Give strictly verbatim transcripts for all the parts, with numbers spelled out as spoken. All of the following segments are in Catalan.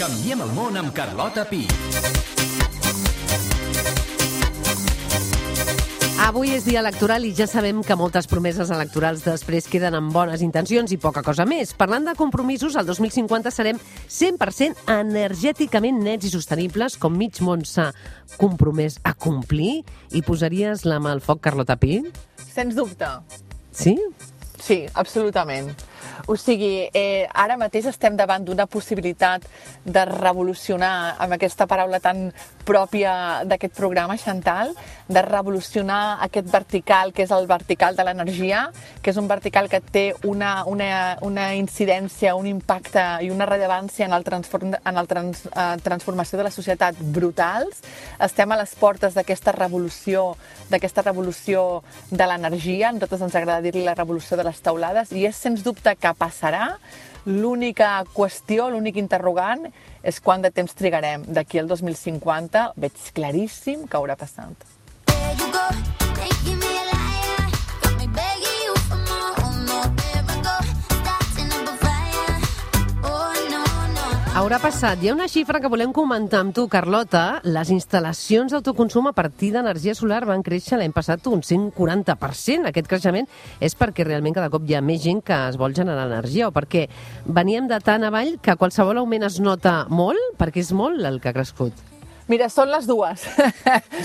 Canviem el món amb Carlota Pi. Avui és dia electoral i ja sabem que moltes promeses electorals després queden amb bones intencions i poca cosa més. Parlant de compromisos, el dos mil cinquanta serem cent per cent energèticament nets i sostenibles, com mig món s'ha compromès a complir. I posaries la mà al foc, Carlota Pi? Sens dubte. Sí? Sí, absolutament. O sigui, eh, ara mateix estem davant d'una possibilitat de revolucionar, amb aquesta paraula tan pròpia d'aquest programa, Chantal, de revolucionar aquest vertical, que és el vertical de l'energia, que és un vertical que té una, una, una incidència, un impacte i una rellevància en, el transform, en la trans, eh, transformació de la societat brutals. Estem a les portes d'aquesta revolució, d'aquesta revolució de l'energia. A nosaltres ens agrada dir-li la revolució de les teulades, i és sens dubte que passarà. L'única qüestió, l'únic interrogant és quant de temps trigarem. D'aquí al dos mil cinquanta veig claríssim que haurà passat. Haurà passat. Hi ha una xifra que volem comentar amb tu, Carlota. Les instal·lacions d'autoconsum a partir d'energia solar van créixer l'any passat un cent quaranta per cent. Aquest creixement és perquè realment cada cop hi ha més gent que es vol generar energia, o perquè veníem de tant avall que qualsevol augment es nota molt, perquè és molt el que ha crescut. Mira, són les dues.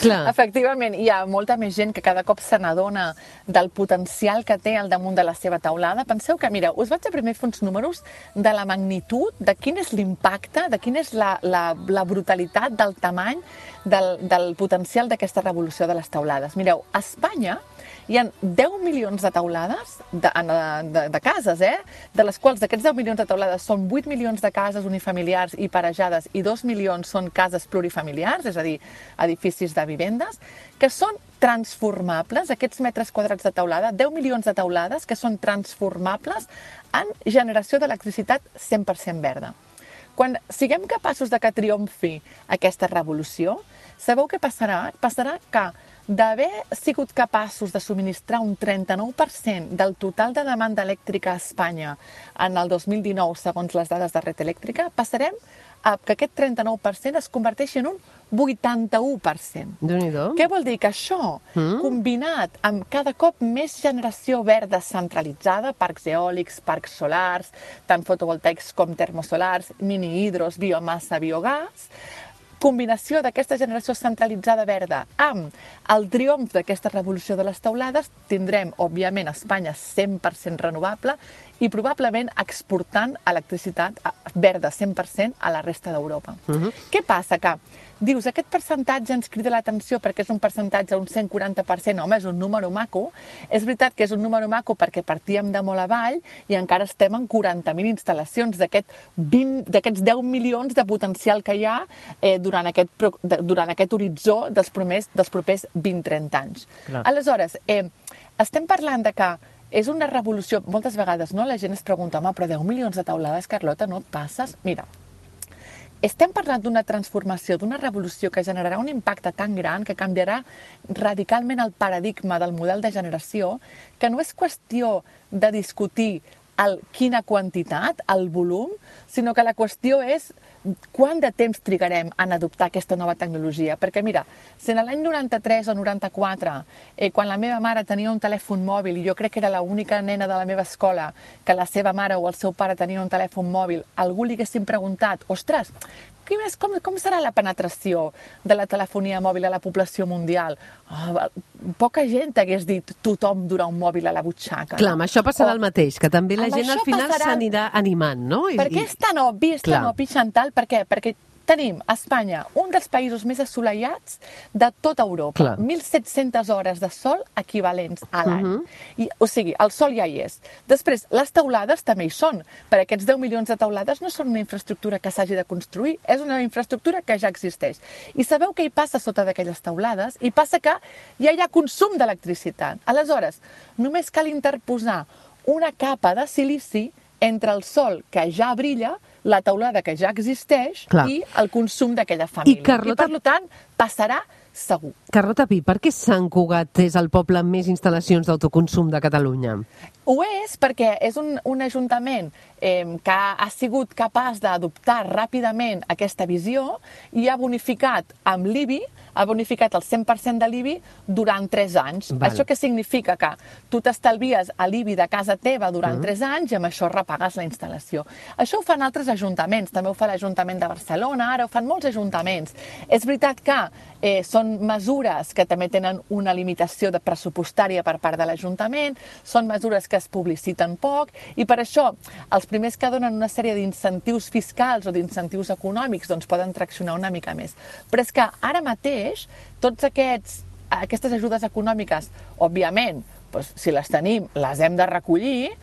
Clar. Efectivament, hi ha molta més gent que cada cop se n'adona del potencial que té al damunt de la seva teulada. Penseu que, mira, us vaig a primer fer uns números de la magnitud, de quin és l'impacte, de quina és la, la, la brutalitat del tamany del, del potencial d'aquesta revolució de les teulades. Mireu, a Espanya hi ha deu milions de teulades de, de, de cases, eh? De les quals d'aquests deu milions de teulades són vuit milions de cases unifamiliars i parejades i dos milions són cases plurifamiliars, és a dir, edificis de vivendes, que són transformables, aquests metres quadrats de teulada, deu milions de teulades que són transformables en generació d'electricitat cent per cent verda. Quan siguem capaços de que triomfi aquesta revolució, sabeu què passarà? Passarà que d'haver sigut capaços de subministrar un trenta-nou per cent del total de demanda elèctrica a Espanya en el dos mil dinou, segons les dades de Red Eléctrica, passarem a que aquest trenta-nou per cent es converteixi en un vuitanta-u per cent. Déu-n'hi-do. Què vol dir? Que això, mm. combinat amb cada cop més generació verda centralitzada, parcs eòlics, parcs solars, tant fotovoltaics com termosolars, mini-hidros, biomassa, biogàs, combinació d'aquesta generació centralitzada verda amb el triomf d'aquesta revolució de les teulades, tindrem, òbviament, a Espanya cent per cent renovable i probablement exportant electricitat verda cent per cent a la resta d'Europa. Uh-huh. Què passa? Que dius, aquest percentatge ens crida l'atenció perquè és un percentatge, un cent quaranta per cent, home, és un número maco. És veritat que és un número maco perquè partíem de molt avall i encara estem en quaranta mil instal·lacions d'aquests deu milions de potencial que hi ha eh, durant, aquest, durant aquest horitzó dels, promers, dels propers vint a trenta anys. Clar. Aleshores, eh, estem parlant de que és una revolució, moltes vegades no, la gent es pregunta, home, però deu milions de teulades, Carlota, no et passes? Mira, estem parlant d'una transformació, d'una revolució que generarà un impacte tan gran que canviarà radicalment el paradigma del model de generació, que no és qüestió de discutir el quina quantitat, el volum, sinó que la qüestió és quant de temps trigarem en adoptar aquesta nova tecnologia. Perquè mira, si en l'any noranta-tres o noranta-quatre, eh, quan la meva mare tenia un telèfon mòbil, i jo crec que era l'única nena de la meva escola que la seva mare o el seu pare tenia un telèfon mòbil, algú li haguessin preguntat, ostres, com, com serà la penetració de la telefonia mòbil a la població mundial? Oh, poca gent hagués dit tothom durà un mòbil a la butxaca. Clar, amb això passarà el mateix, que també la gent al final s'anirà animant, no? Per què és tan obvi, és tan obvi, Chantal? Per què? Perquè tenim a Espanya un dels països més assolellats de tota Europa. Clar. mil set-centes hores de sol equivalents a l'any. Uh-huh. I, o sigui, el sol ja hi és. Després, les teulades també hi són. Per aquests deu milions de teulades no són una infraestructura que s'hagi de construir, és una infraestructura que ja existeix. I sabeu què hi passa sota d'aquelles teulades? Hi passa que ja hi ha consum d'electricitat. Aleshores, només cal interposar una capa de silici entre el sol que ja brilla, la teulada que ja existeix, clar, i el consum d'aquella família. I, Carlota... I per tant, passarà segur. Carlota Pi, per què Sant Cugat és el poble amb més instal·lacions d'autoconsum de Catalunya? Ho és perquè és un, un ajuntament eh, que ha sigut capaç d'adoptar ràpidament aquesta visió i ha bonificat amb l'I B I, ha bonificat el cent per cent de l'I B I durant tres anys. Val. Això què significa? Que tu t'estalvies a l'I B I de casa teva durant tres anys i amb això repagues la instal·lació. Això ho fan altres ajuntaments, també ho fa l'Ajuntament de Barcelona, ara ho fan molts ajuntaments. És veritat que eh, són mesures que també tenen una limitació de pressupostària per part de l'Ajuntament, són mesures que es publiciten poc i per això els primers que donen una sèrie d'incentius fiscals o d'incentius econòmics doncs poden traccionar una mica més. Però és que ara mateix tots aquests, aquestes ajudes econòmiques, òbviament, doncs, si les tenim, les hem de recollir.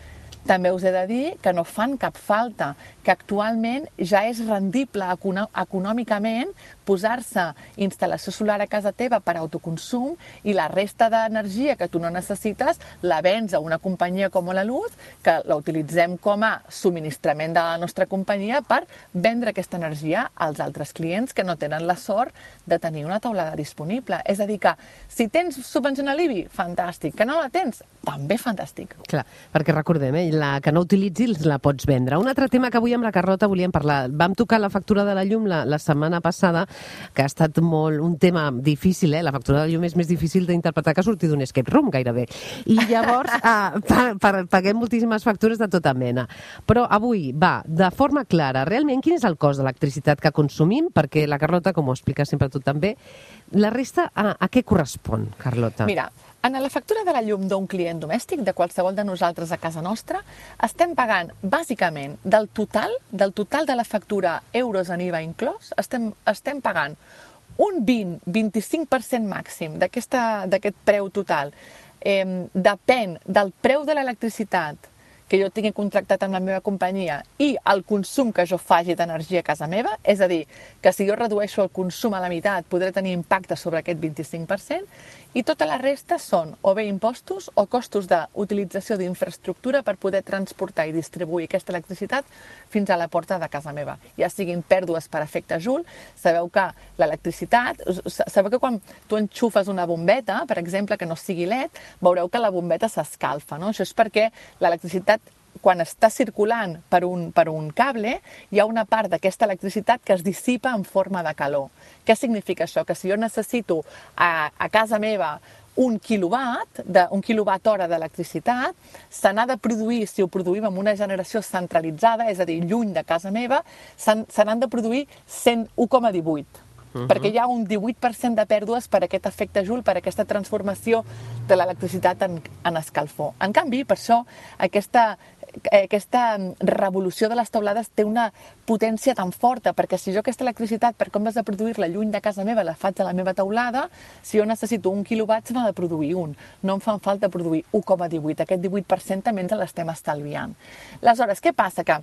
També us he de dir que no fan cap falta, que actualment ja és rendible econòmicament posar-se instal·lació solar a casa teva per autoconsum i la resta d'energia que tu no necessites la vens a una companyia com la Luz, que la utilitzem com a subministrament de la nostra companyia per vendre aquesta energia als altres clients que no tenen la sort de tenir una taulada disponible. És a dir que si tens subvencionat l'I B I, fantàstic. Que no la tens, també fantàstic. Clar, perquè recordem, eh, la que no utilitzis la pots vendre. Un altre tema que avui amb la Carlota volíem parlar. Vam tocar la factura de la llum la, la setmana passada, que ha estat molt un tema difícil, eh? La factura de la llum és més difícil d'interpretar que sortir d'un escape room, gairebé. I llavors eh, paguem moltíssimes factures de tota mena. Però avui, va, de forma clara, realment quin és el cost d'electricitat que consumim? Perquè la Carlota, com ho explica sempre tu també, la resta a, a què correspon, Carlota? Mira, en la factura de la llum d'un client domèstic, de qualsevol de nosaltres a casa nostra, estem pagant, bàsicament, del total, del total de la factura, euros en I V A inclòs, estem, estem pagant un vint a vint-i-cinc per cent màxim d'aquest preu total. Eh, depèn del preu de l'electricitat que jo tingui contractat amb la meva companyia i el consum que jo faci d'energia a casa meva, és a dir, que si jo redueixo el consum a la meitat podré tenir impacte sobre aquest vint-i-cinc per cent, i tota la resta són o bé impostos o costos d'utilització d'infraestructura per poder transportar i distribuir aquesta electricitat fins a la porta de casa meva. Ja siguin pèrdues per efecte Joule, sabeu que l'electricitat, sabeu que quan tu enxufes una bombeta, per exemple, que no sigui L E D, veureu que la bombeta s'escalfa, no? Això és perquè l'electricitat, quan està circulant per un, per un cable, hi ha una part d'aquesta electricitat que es dissipa en forma de calor. Què significa això? Que si jo necessito a, a casa meva un quilowatt, de, un quilowatt hora d'electricitat, se n'ha de produir, si ho produïm amb una generació centralitzada, és a dir, lluny de casa meva, se n'han de produir cent un coma divuit. Uh-huh. Perquè hi ha un divuit per cent de pèrdues per aquest efecte Joule, per aquesta transformació de l'electricitat en, en escalfor. En canvi, per això, aquesta, aquesta revolució de les teulades té una potència tan forta, perquè si jo aquesta electricitat, per com has de produir-la lluny de casa meva, la faig a la meva teulada, si jo necessito un quilowatt, se n'ha de produir un. No em fan falta produir un coma divuit. Aquest divuit per cent també ens l'estem estalviant. Aleshores, què passa? Que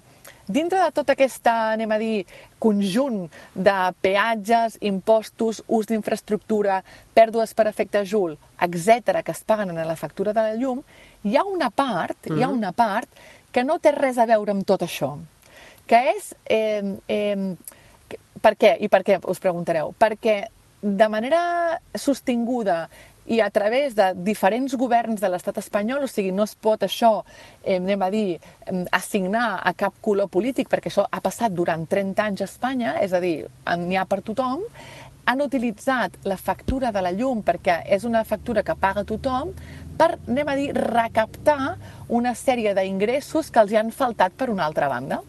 dintre de tot aquest, anem a dir, conjunt de peatges, impostos, ús d'infraestructura, pèrdues per efecte Joule, etcètera, que es paguen en la factura de la llum, hi ha una part, mm. hi ha una part que no té res a veure amb tot això, que és... Eh, eh, per què? I per què, us preguntareu? Perquè de manera sostinguda i a través de diferents governs de l'estat espanyol, o sigui, no es pot això, eh, anem a dir, assignar a cap color polític, perquè això ha passat durant trenta anys a Espanya, és a dir, n'hi ha per tothom, han utilitzat la factura de la llum, perquè és una factura que paga tothom, per, anem a dir, recaptar una sèrie d'ingressos que els hi han faltat per una altra banda.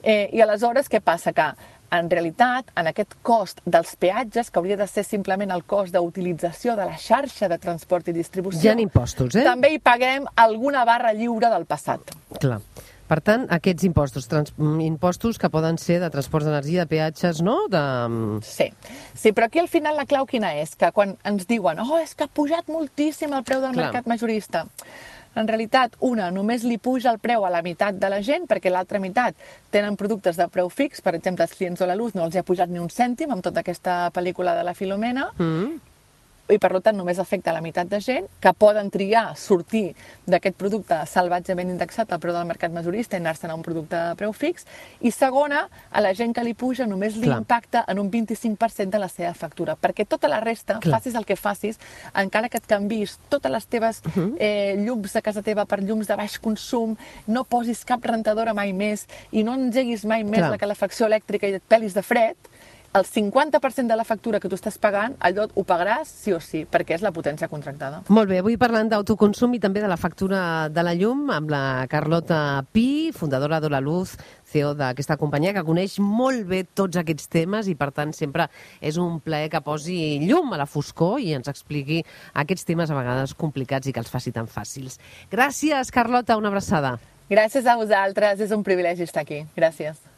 Eh, I aleshores, què passa? Que en realitat, en aquest cost dels peatges, que hauria de ser simplement el cost d'utilització de la xarxa de transport i distribució, hi ha impostos, eh? També hi paguem alguna barra lliure del passat. Clar. Per tant, aquests impostos, trans, impostos que poden ser de transports d'energia, de peatges, no? De... Sí. Sí, però aquí al final la clau quina és? Que quan ens diuen oh, és que ha pujat moltíssim el preu del Clar. mercat majorista. En realitat, una, només li puja el preu a la meitat de la gent, perquè l'altra meitat tenen productes de preu fix, per exemple, els clients de la Luz no els ha pujat ni un cèntim amb tota aquesta pel·lícula de la Filomena. Mm. i per tant només afecta la meitat de gent, que poden triar sortir d'aquest producte salvatgement indexat al preu del mercat majorista i anar-se'n a un producte de preu fix, i segona, a la gent que li puja només li Clar. impacta en un vint-i-cinc per cent de la seva factura, perquè tota la resta, Clar. facis el que facis, encara que et canvis totes les teves eh, llums de casa teva per llums de baix consum, no posis cap rentadora mai més i no engeguis mai més Clar. la calefacció elèctrica i et pelis de fred, el cinquanta per cent de la factura que tu estàs pagant, allò ho pagaràs sí o sí, perquè és la potència contractada. Molt bé, avui parlant d'autoconsum i també de la factura de la llum amb la Carlota Pi, fundadora d'Hola Luz, C E O d'aquesta companyia, que coneix molt bé tots aquests temes i, per tant, sempre és un plaer que posi llum a la foscor i ens expliqui aquests temes a vegades complicats i que els faci tan fàcils. Gràcies, Carlota, una abraçada. Gràcies a vosaltres, és un privilegi estar aquí. Gràcies.